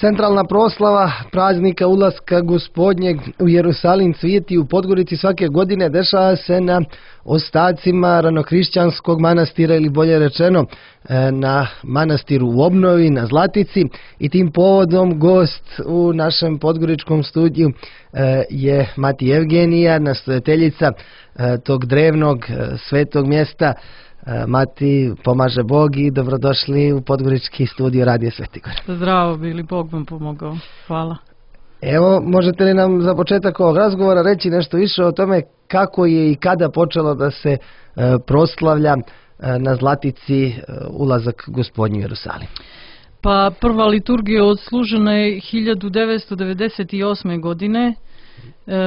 Centralna proslava praznika ulaska Gospodnjeg u Jerusalim cvijeti u Podgorici svake godine dešava se na ostacima ranohrišćanskog manastira, ili bolje rečeno na manastiru u obnovi, na Zlatici, i tim povodom gost u našem podgoričkom studiju je mati Evgenija, nastojateljica tog drevnog svetog mjesta. Mati, pomaže Bog i dobrodošli u podgorički studio Radio Svetigor. Zdravo bili, Bog vam pomogao. Hvala. Evo, možete li nam za početak ovog razgovora reći nešto više o tome kako je i kada počelo da se proslavlja na Zlatici ulazak Gospodnji u Jerusalim? Pa prva liturgija odslužena je 1998. godine.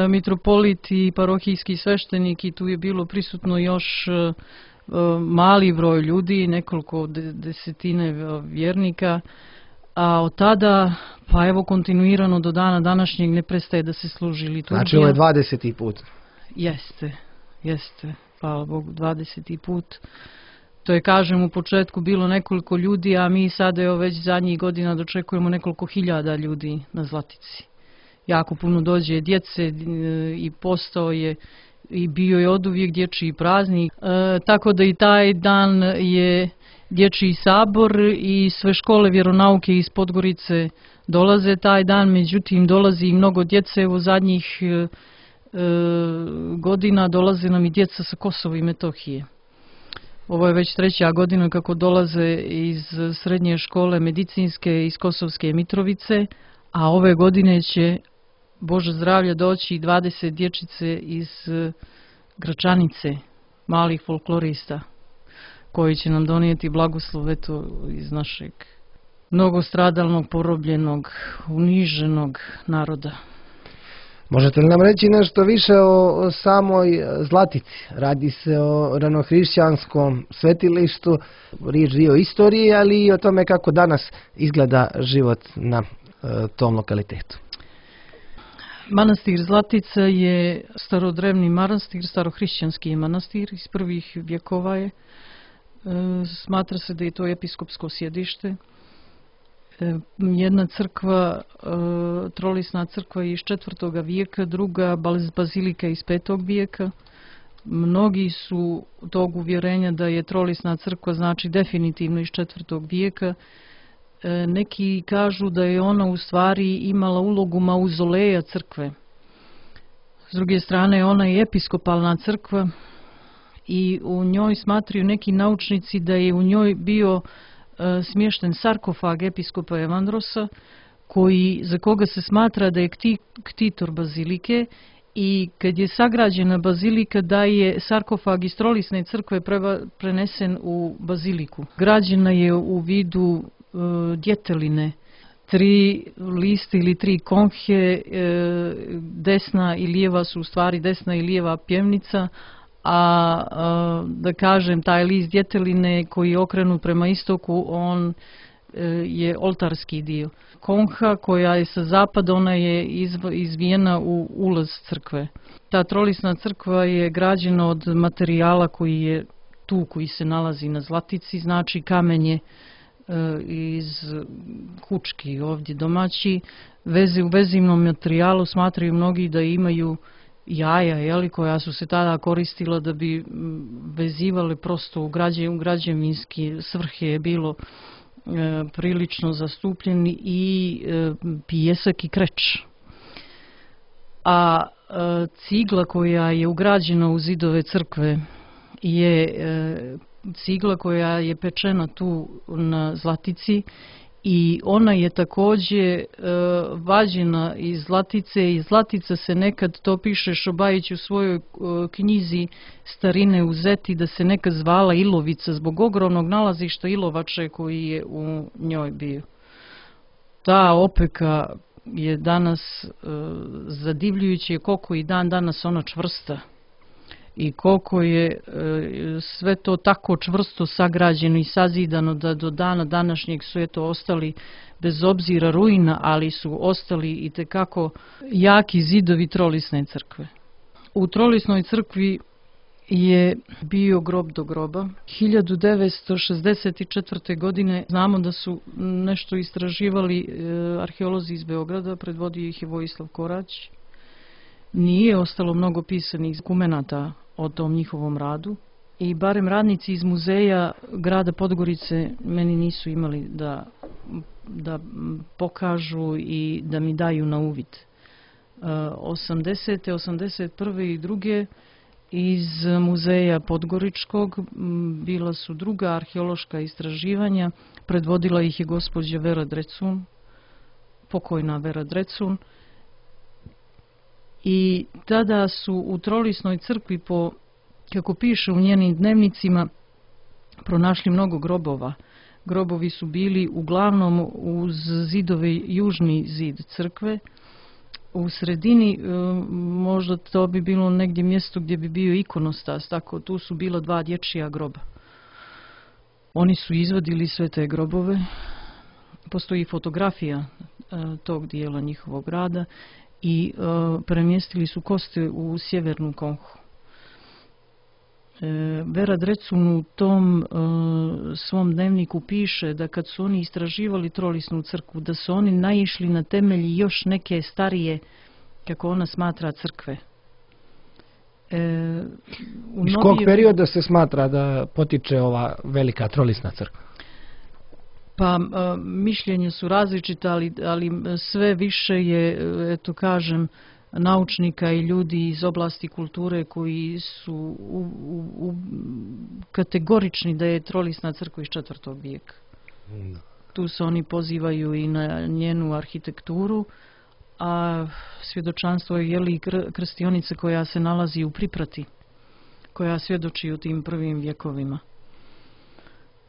Mitropolit i parohijski sveštenik, i tu je bilo prisutno još mali broj ljudi, nekoliko desetine vjernika, a od tada pa evo kontinuirano do dana današnjeg ne prestaje da se služi liturgija. Znači ovo je 20. put. Jeste, hvala Bogu, 20. put. To je, kažem, u početku bilo nekoliko ljudi, a mi sada evo već zadnjih godina dočekujemo nekoliko hiljada ljudi na Zlatici. Jako puno dođe djece i postao je i bio je oduvijek dječji praznik, tako da i taj dan je dječji sabor i sve škole vjeronauke iz Podgorice dolaze taj dan, međutim dolazi i mnogo djece. U zadnjih godina dolaze nam i djeca sa Kosova i Metohije. Ovo je već 3. godina kako dolaze iz srednje škole medicinske iz Kosovske Mitrovice, a ove godine će, Bože zdravlja, doći 20 dječice iz Gračanice, malih folklorista, koji će nam donijeti blagoslov eto iz našeg mnogostradalnog, porobljenog, uniženog naroda. Možete li nam reći nešto više o samoj Zlatici? Radi se o ranohrišćanskom svetilištu, riječ je o istoriji, ali i o tome kako danas izgleda život na tom lokalitetu. Manastir Zlatica je starodrevni manastir, starohrišćanski manastir, iz prvih vjekova je. Smatra se da je to episkopsko sjedište. Jedna crkva, trolisna crkva iz 4. vijeka, druga bazilika iz 5. vijeka. Mnogi su tog uvjerenja da je trolisna crkva znači definitivno iz 4. vijeka. Neki kažu da je ona u stvari imala ulogu mauzoleja crkve. S druge strane, ona je episkopalna crkva i u njoj smatraju neki naučnici da je u njoj bio smješten sarkofag episkopa Evandrosa, za koga se smatra da je ktitor bazilike, i kad je sagrađena bazilika da je sarkofag iz trolisne crkve prenesen u baziliku. Građena je u vidu djeteline, 3 liste ili 3 konhe, desna i lijeva su u stvari desna i lijeva pjevnica, a da kažem taj list djeteline koji je okrenut prema istoku, on je oltarski dio. Konha koja je sa zapada, ona je izvijena u ulaz crkve. Ta trolisna crkva je građena od materijala koji je tu, koji se nalazi na Zlatici, znači kamenje iz Kučki, ovdje domaći. U vezivnom materijalu smatraju mnogi da imaju jaja, koja su se tada koristila da bi vezivale prosto u građevinske svrhe, je bilo prilično zastupljeni, i pijesak i kreć. A cigla koja je ugrađena u zidove crkve je cigla koja je pečena tu na Zlatici, i ona je također vađena iz Zlatice. Iz Zlatica se nekad, to piše Šobajić u svojoj knjizi Starine u Zeti, da se nekad zvala Ilovica zbog ogromnog nalazišta ilovače koji je u njoj bio. Ta opeka je danas zadivljujuće koliko i dan danas ona čvrsta i koliko je sve to tako čvrsto sagrađeno i sazidano da do dana današnjeg su eto ostali, bez obzira ruina, ali su ostali itekako jaki zidovi trolisne crkve. U trolisnoj crkvi je bio grob do groba. 1964. godine znamo da su nešto istraživali arheolozi iz Beograda, predvodio ih je Vojislav Korać. Nije ostalo mnogo pisanih dokumenata o tom njihovom radu i barem radnici iz muzeja grada Podgorice meni nisu imali da pokažu i da mi daju na uvid. 80. 81. i druge iz muzeja Podgoričkog bila su druga arheološka istraživanja, predvodila ih je gospođa Vera Drecun, pokojna Vera Drecun, i tada su u Trolisnoj crkvi, kako piše u njenim dnevnicima, pronašli mnogo grobova. Grobovi su bili uglavnom uz zidove, južni zid crkve. U sredini možda to bi bilo negdje mjesto gdje bi bio ikonostas, tako tu su bila dva dječja groba. Oni su izvadili sve te grobove. Postoji fotografija tog dijela njihovog rada i premjestili su kosti u sjevernu konhu. Vera Drecun u tom svom dnevniku piše da kad su oni istraživali Trolisnu crkvu, da su oni naišli na temelji još neke starije, kako ona smatra, crkve. Iz kog perioda se smatra da potiče ova velika Trolisna crkva? Pa mišljenja su različita, ali sve više je, eto kažem, naučnika i ljudi iz oblasti kulture koji su kategorični da je Trolisna crkva iz 4. vijeka. Tu se oni pozivaju i na njenu arhitekturu, a svjedočanstvo je krstionica koja se nalazi u Priprati, koja svjedoči u tim prvim vjekovima.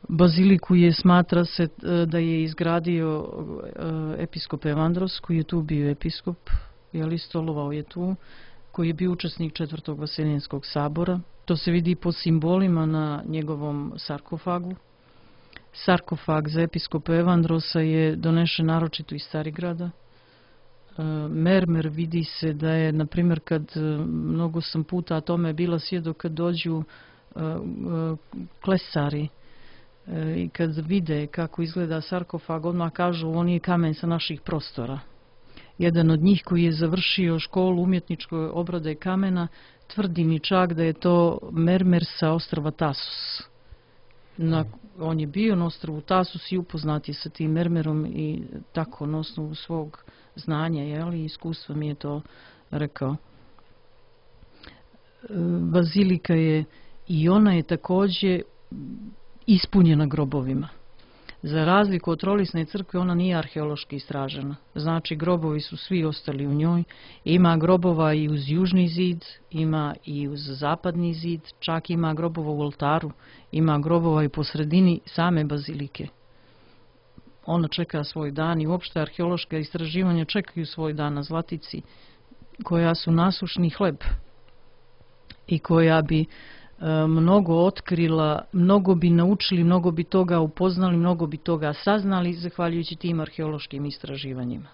Baziliku smatra se da je izgradio episkop Evandros, koji je tu bio episkop, stolovao je tu, koji je bio učesnik 4. Vaseljenskog sabora. To se vidi po simbolima na njegovom sarkofagu. Sarkofag za episkopa Evandrosa je donešen naročito iz Starigrada. Mermer vidi se da je, na primjer, kad mnogo sam puta, a tome je bila svjedok, kad dođu klesari i kad vide kako izgleda sarkofag, odmah kažu on je kamen sa naših prostora. Jedan od njih koji je završio školu umjetničke obrade kamena tvrdi mi čak da je to mermer sa ostrva Tasos. On je bio na ostrvu Tasos i upoznat je sa tim mermerom i tako na osnovu svog znanja i iskustva mi je to rekao. Bazilika je i ona je također ispunjena grobovima. Za razliku od Trolisne crkve, ona nije arheološki istražena. Znači, grobovi su svi ostali u njoj. Ima grobova i uz južni zid, ima i uz zapadni zid, čak ima grobova u oltaru, ima grobova i po sredini same bazilike. Ona čeka svoj dan i uopšte arheološka istraživanja čekaju svoj dan na Zlatici, koja su nasušni hleb i koja bi mnogo otkrila, mnogo bi naučili, mnogo bi toga upoznali, mnogo bi toga saznali zahvaljujući tim arheološkim istraživanjima.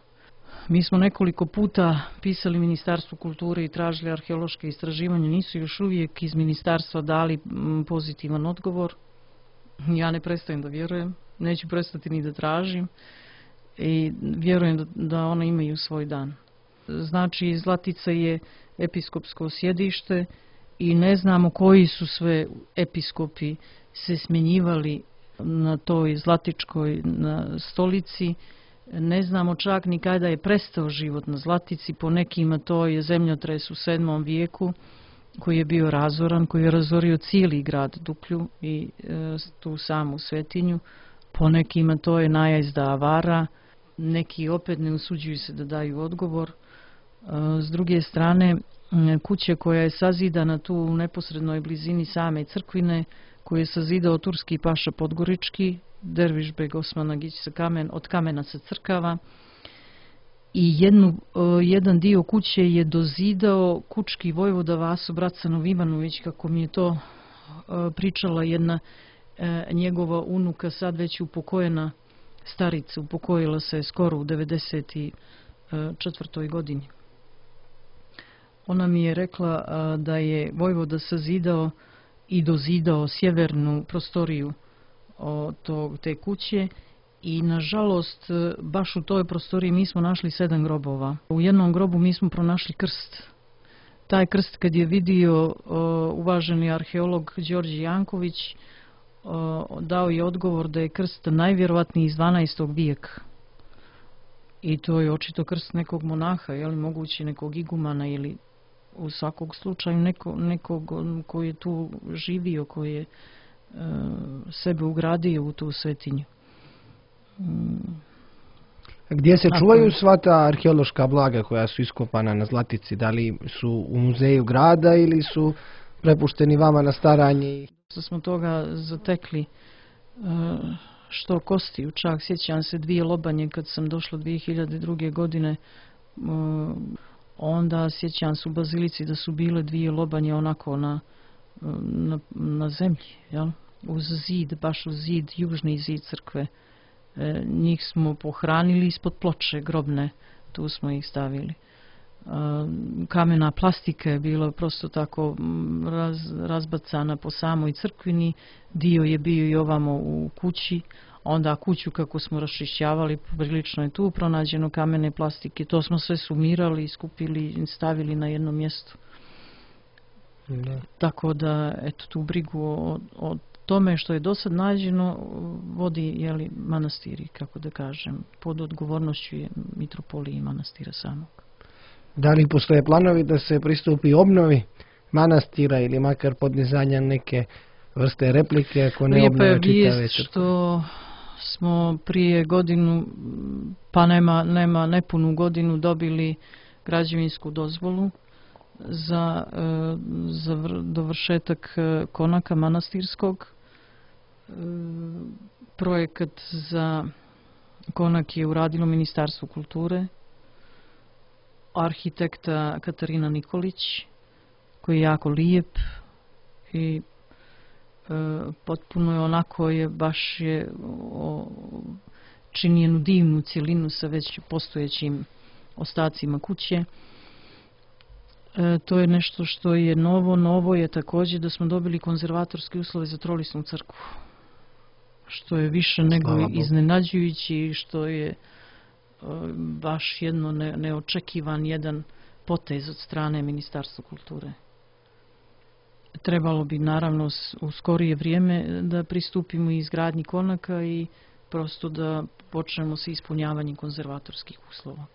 Mi smo nekoliko puta pisali Ministarstvu kulture i tražili arheološke istraživanja, nisu još uvijek iz ministarstva dali pozitivan odgovor. Ja ne prestajem da vjerujem, neću prestati ni da tražim i vjerujem da one imaju svoj dan. Znači, Zlatica je episkopsko sjedište i ne znamo koji su sve episkopi se smjenjivali na toj Zlatičkoj stolici. Ne znamo čak ni kada je prestao život na Zlatici. Po nekima to je zemljotres u 7. vijeku koji je bio razoran, koji je razorio cijeli grad Duklju i tu samu svetinju. Po nekima to je najezda avara. Neki opet ne usuđuju se da daju odgovor. S druge strane, kuća koja je sazidana tu u neposrednoj blizini same crkvine, koju je sazidao turski paša Podgorički, Dervišbeg Osman Agić od kamena sa crkava, i jedan dio kuće je dozidao kučki vojvoda Vaso Bracanov Ivanović, kako mi je to pričala jedna njegova unuka, sad već upokojena starica, upokojila se skoro u 94. godini. Ona mi je rekla da je vojvoda sazidao i dozidao sjevernu prostoriju te kuće i nažalost baš u toj prostoriji mi smo našli 7 grobova. U jednom grobu mi smo pronašli krst. Taj krst kad je vidio uvaženi arheolog Đorđe Janković, dao je odgovor da je krst najvjerovatniji iz 12. vijeka. I to je očito krst nekog monaha, je li moguće nekog igumana ili u svakog slučaju nekog koji je tu živio, koji je sebe ugradio u tu svetinju. Gdje se čuvaju sva ta arheološka blaga koja su iskopana na Zlatici? Da li su u muzeju grada ili su prepušteni vama na staranje? Što smo toga zatekli što kostiju, čak sjećam se 2 lobanje kad sam došla 2002. godine, onda sjećam se u Bazilici da su bile 2 lobanje onako na zemlji, jel? Uz zid, baš uz zid, južni zid crkve. Njih smo pohranili ispod ploče grobne, tu smo ih stavili. Kamena plastika je bila prosto tako razbacana po samoj crkvini, dio je bio i ovamo u kući, onda kuću kako smo raščišćavali, prilično je tu pronađeno kamene plastike, to smo sve sumirali, skupili i stavili na jedno mjesto. Da. Tako da, eto, tu brigu o tome što je do sad nađeno vodi manastiri, kako da kažem, pod odgovornošću je mitropolije i manastira samog. Da li postoje planovi da se pristupi obnovi manastira ili makar podnizanja neke vrste replike ako ne obnove čitave crkve? Lijepa je vijest što smo prije godinu, pa nema nepunu godinu, dobili građevinsku dozvolu za dovršetak konaka manastirskog. Projekat za konak je uradilo Ministarstvo kulture, arhitekta Katarina Nikolić, koji je jako lijep i potpuno je onako baš čini jednu divnu cjelinu sa već postojećim ostacima kuće. To je nešto što je novo. Novo je također da smo dobili konzervatorske uslove za Trolisnu crkvu, što je više nego iznenađujući, što je baš jedno neočekivan jedan potez od strane Ministarstva kulture. Trebalo bi naravno u skorije vrijeme da pristupimo izgradnji konaka i prosto da počnemo sa ispunjavanjem konzervatorskih uslova.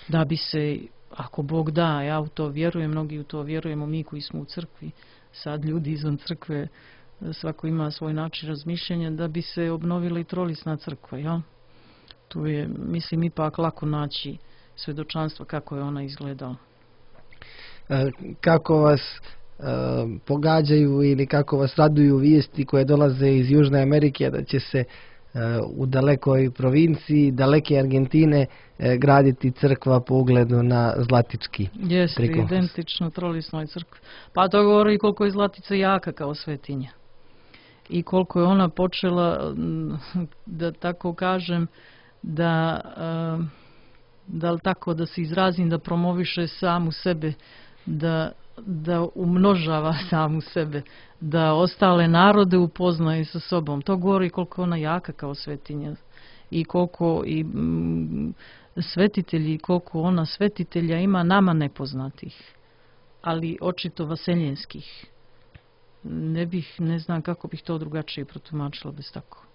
Da bi se, ako Bog da, ja u to vjerujem, mnogi u to vjerujemo, mi koji smo u crkvi, sad ljudi izvan crkve, svako ima svoj način razmišljanja, da bi se obnovila i Trolisna crkva, ja? Tu je, mislim, ipak lako naći svjedočanstva kako je ona izgledala. Kako vas pogađaju ili kako vas raduju vijesti koje dolaze iz Južne Amerike da će se u dalekoj provinciji, daleke Argentine, graditi crkva po ugledu na Zlatički? Jeste, identično Trolisnoj crkvi. Pa to govori koliko je Zlatica jaka kao svetinja. I koliko je ona počela, da tako kažem, da se izrazim, da promoviše samu sebe, da umnožava samu sebe, da ostale narode upoznaje sa sobom. To govori koliko je ona jaka kao svetinja i koliko i svetitelji, koliko ona svetitelja ima nama nepoznatih, ali očito vaseljenskih. Ne znam kako bih to drugačije protumačila bez tako.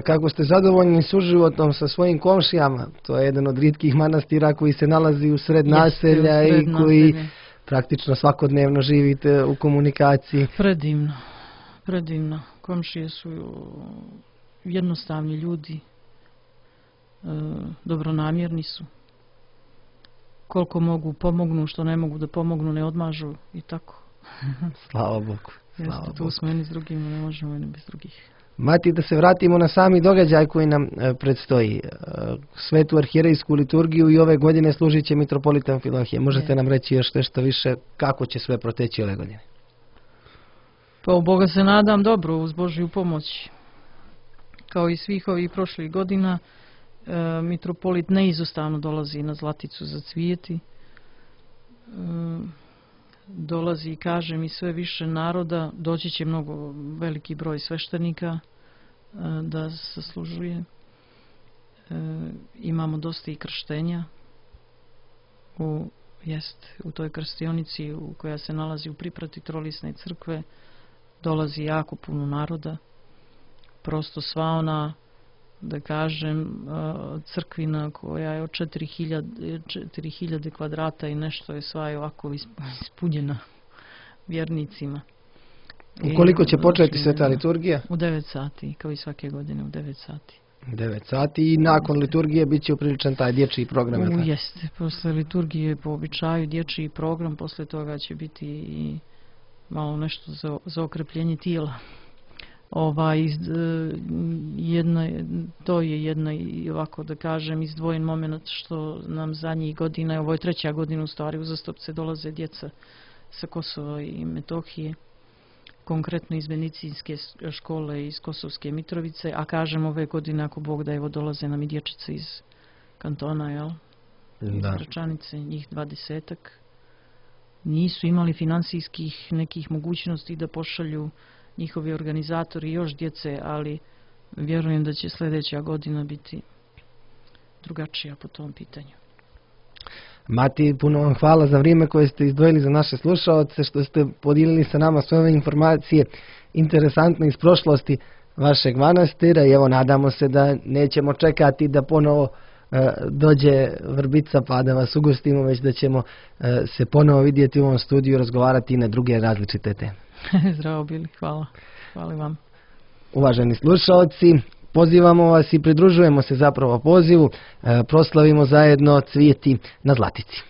Kako ste zadovoljni suživotom sa svojim komšijama? To je jedan od rijetkih manastira koji se nalazi u sred naselja i koji praktično svakodnevno živite u komunikaciji. Predivno. Komšije su jednostavni ljudi, dobronamjerni su. Koliko mogu pomognu, što ne mogu da pomognu ne odmažu i tako. Slava Bogu. Jeste, tu smo jedni s drugima, ne možemo jedni bez drugih. Mati, da se vratimo na sami događaj koji nam predstoji. Svetu arhijerejsku liturgiju i ove godine služit će mitropolita Amfilohije. Možete nam reći još nešto više kako će sve proteći ove godine? Pa u Boga se nadam dobro, uz Božju pomoć. Kao i svih ovih prošlih godina, mitropolit neizostavno dolazi na Zlaticu za cvijeti. dolazi, kažem, i sve više naroda, doći će mnogo veliki broj sveštenika da saslužuje. Imamo dosta i krštenja u toj krstionici koja se nalazi u priprati Trolisne crkve. Dolazi jako puno naroda. Prosto sva ona, da kažem, crkvina koja je od 4000 kvadrata i nešto je sva ovako ispunjena vjernicima. Ukoliko će početi sveta liturgija? U 9 sati, kao i svake godine u 9 sati. 9 sati i nakon liturgije bit će upriličan taj dječji program. Jeste, posle liturgije po običaju dječji program, posle toga će biti i malo nešto za okrepljenje tijela. To je jedna, ovako da kažem, izdvojen moment što nam zadnjih godina, ovo je 3. godina u stvari, uzastopce dolaze djeca sa Kosova i Metohije, konkretno iz medicinske škole iz Kosovske Mitrovice, a kažem ove godine, ako Bog da, evo dolaze nam i dječice iz kantona, jel? Iz Gračanice, njih 20-ak. Nisu imali finansijskih nekih mogućnosti da pošalju njihovi organizatori još djece, ali vjerujem da će sljedeća godina biti drugačija po tom pitanju. Mati, puno vam hvala za vrijeme koje ste izdvojili za naše slušaoce, što ste podijelili sa nama sve ove informacije interesantne iz prošlosti vašeg manastira i evo nadamo se da nećemo čekati da ponovo dođe vrbica pa da vas ugostimo, već da ćemo se ponovo vidjeti u ovom studiju i razgovarati i na druge različite teme. Zdravo bili, hvala. Hvala vam. Uvaženi slušaoci, pozivamo vas i pridružujemo se zapravo pozivu, proslavimo zajedno Cvijeti na Zlatici.